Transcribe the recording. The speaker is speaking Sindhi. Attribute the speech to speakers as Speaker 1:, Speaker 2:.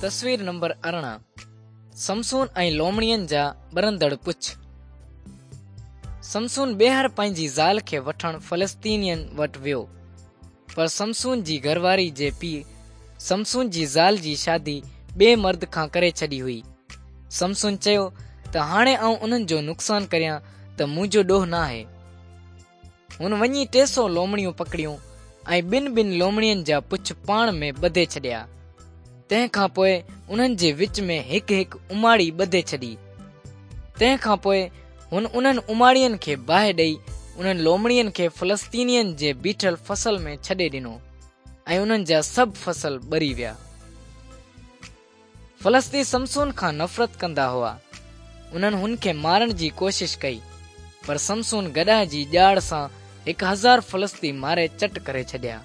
Speaker 1: تصوير نمبر 18 سمسون ۽ لومڙين جا ٻرندڙ پڇ. سمسون ٻيهر پنهنجي زال کي وٺڻ فلسطينين وٽ ويو. پر سمسون جي گهرواري جي پيء سمسون جي زال جي شادي ٻئي مرد کان ڪري ڇڏي هئي. سمسون چيو ته هاڻي آئون انهن جو نقصان ڪريان ته منهنجو ڏوهه ناهي. هن وڃي 300 لومڙيون پڪڙيون ۽ ٻن ٻن لومڙين جا پڇ پاڻ ۾ ٻڌي ڇڏيا. تنهن کان پوء انهن جي وچ ۾ هڪ هڪ اماڙي ٻڌي ڇڏي. تنهن کان پوء هن انهن اماڙين کي باهه ڏئي انهن لومڙين کي فلسطينين جي بيٺل فصل ۾ ڇڏي ڏنو ۽ انهن جا سڀ فصل ٻري ويا. فلستي سمسون کان نفرت ڪندا هئا. انهن هن کي مارڻ جي ڪوشش ڪئي، پر سمسون گڏهه جي ڄاڙ سان 1000 فلستي ماري چٽ ڪري ڇڏيا.